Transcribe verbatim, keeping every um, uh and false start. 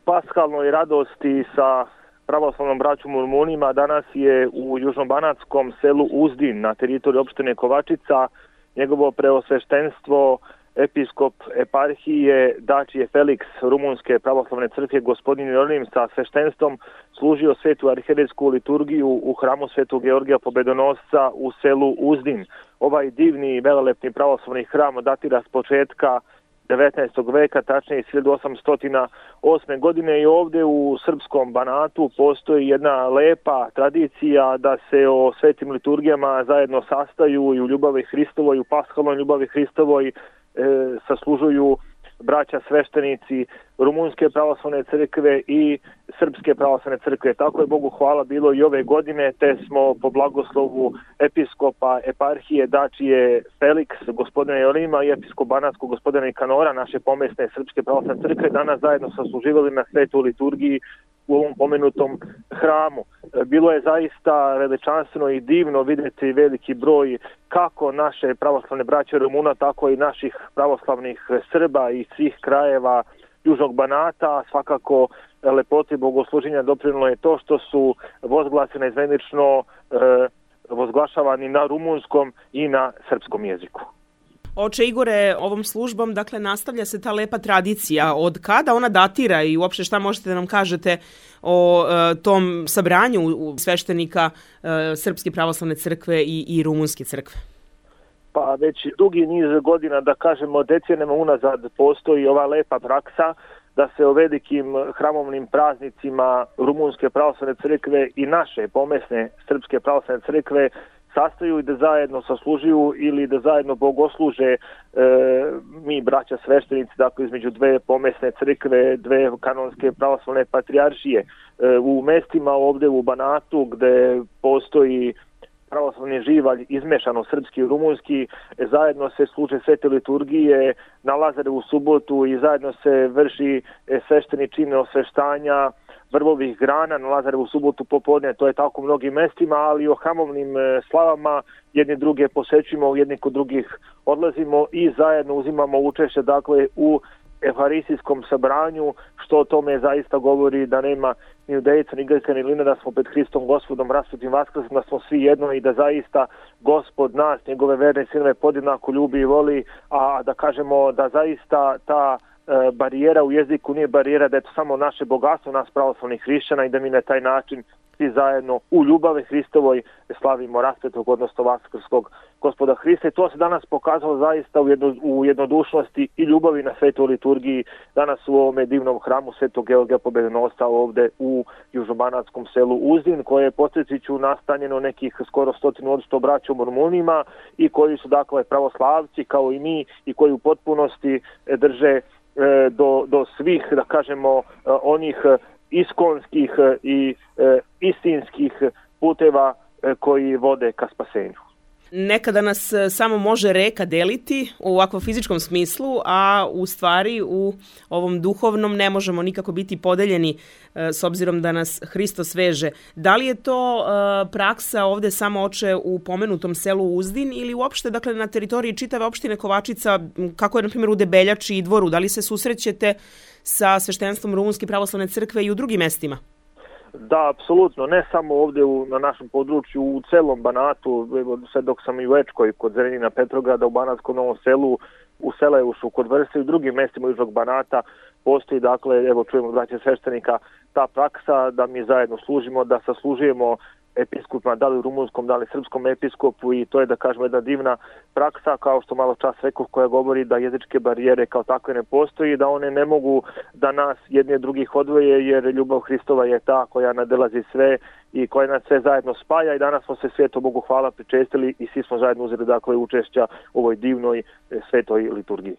paskalnoj radosti sa pravoslavnom braćom u Rumunima danas je u južnobanatskom selu Uzdin na teritoriji opštine Kovačica njegovo preosveštenstvo episkop eparhije Dačije Felix Rumunske pravoslavne crkve gospodin Jeronim sa sveštenstvom služio svetu arhijerejsku liturgiju u hramu Svetog Georgija Pobedonosca u selu Uzdin. Ovaj divni i velelepni pravoslavni hram datira s početka devetnaestog veka, tačnije iz hiljadu osamsto osme godine, i ovdje u srpskom Banatu postoji jedna lepa tradicija da se o svetim liturgijama zajedno sastaju i u ljubavi Hristovoj, u paskalnoj ljubavi Hristovoj e, saslužuju braća sveštenici Rumunske pravoslavne crkve i Srpske pravoslavne crkve. Tako je Bogu hvala bilo i ove godine, te smo po blagoslovu episkopa eparhije Dačije Felix gospodina Jeronima i episkop Banatskog gospodina Ikanora naše pomesne Srpske pravoslavne crkve danas zajedno sasluživali na svetu liturgiji u ovom pomenutom hramu. Bilo je zaista veličanstveno i divno vidjeti veliki broj kako naše pravoslavne braće Rumuna, tako i naših pravoslavnih Srba iz svih krajeva Južnog Banata. Svakako lepoti bogosluženja doprinijelo je to što su vozglasi naizmenično e, vozglašavani na rumunskom i na srpskom jeziku. Oče Igore, ovom službom dakle nastavlja se ta lepa tradicija. Od kada ona datira i uopšte šta možete da nam kažete o e, tom sabranju sveštenika e, Srpske pravoslavne crkve i, i Rumunske crkve? Pa već dugi niz godina, da kažemo decenijama unazad, postoji ova lepa praksa da se o velikim hramovnim praznicima Rumunske pravoslavne crkve i naše pomesne Srpske pravoslavne crkve sastaju i da zajedno saslužuju ili da zajedno bogosluže e, mi braća sveštenici, dakle između dve pomesne crkve, dve kanonske pravoslavne patrijaršije. E, u mestima ovdje u Banatu gde postoji pravoslavni živalj izmešano srpski i rumunski, zajedno se služe svete liturgije na Lazarevu subotu i zajedno se vrši svešteni čin osveštanja vrvovih grana na Lazarevu subotu popodne. To je tako u mnogim mestima, ali o hramovnim slavama jedni druge posećujemo, jedni kod drugih odlazimo i zajedno uzimamo učešće dakle u efaristijskom sabranju, što o tome zaista govori da nema ni judejica, ni Grka, ni Lina, da smo pred Hristom Gospodom rasvetim vaskrsom, da smo svi jedno i da zaista Gospod nas, njegove verne sinove podjednako ljubi i voli, a da kažemo da zaista ta e, barijera u jeziku nije barijera, da je to samo naše bogatstvo, nas pravoslavnih hrišćana i da mi na taj način svi zajedno u ljubavi Hristovoj slavimo rasvetog, odnosno vaskrskog Gospoda Hrista. I to se danas pokazalo zaista u, jedno, u jednodušnosti i ljubavi na svetoj liturgiji danas u ovome divnom hramu Svetog Georgija Pobedonosca ovdje u južnobanatskom selu Uzdin, koje je, podsjetit ću, nastanjeno nekih skoro stotinu od sto braćom Rumunima i koji su dakle pravoslavci kao i mi i koji u potpunosti drže e, do, do svih, da kažemo, onih iskonskih i e, istinskih puteva e, koji vode ka spasenju. Nekada nas samo može reka deliti u ovakvom fizičkom smislu, a u stvari u ovom duhovnom ne možemo nikako biti podeljeni e, s obzirom da nas Hristos veže. Da li je to e, praksa ovdje samo, oče, u pomenutom selu Uzdin ili uopšte dakle na teritoriji čitave opštine Kovačica, kako je na primjer u Debeljači i Dvoru? Da li se susrećete sa sveštenstvom Rumunske pravoslavne crkve i u drugim mestima? Da, apsolutno, ne samo ovdje u, na našem području, u celom Banatu, sve dok sam i u Ečkoj, kod Zrenjina Petrograda, u Banatskom Novom Selu, u Selejušu, kod Vrse i u drugim mestima Južnog Banata postoji, dakle, evo čujemo braća sveštenika, ta praksa da mi zajedno služimo, da saslužujemo episkopima, da li u rumunskom, da li srpskom episkopu, i to je, da kažemo, jedna divna praksa, kao što malo čas rekao, koja govori da jezičke barijere kao takve ne postoji, da one ne mogu da nas jedni od drugih odvoje, jer ljubav Hristova je ta koja nadelazi sve i koja nas sve zajedno spaja, i danas smo se sveto Bogu hvala pričestili i svi smo zajedno uzeli dakle učešća u ovoj divnoj svetoj liturgiji.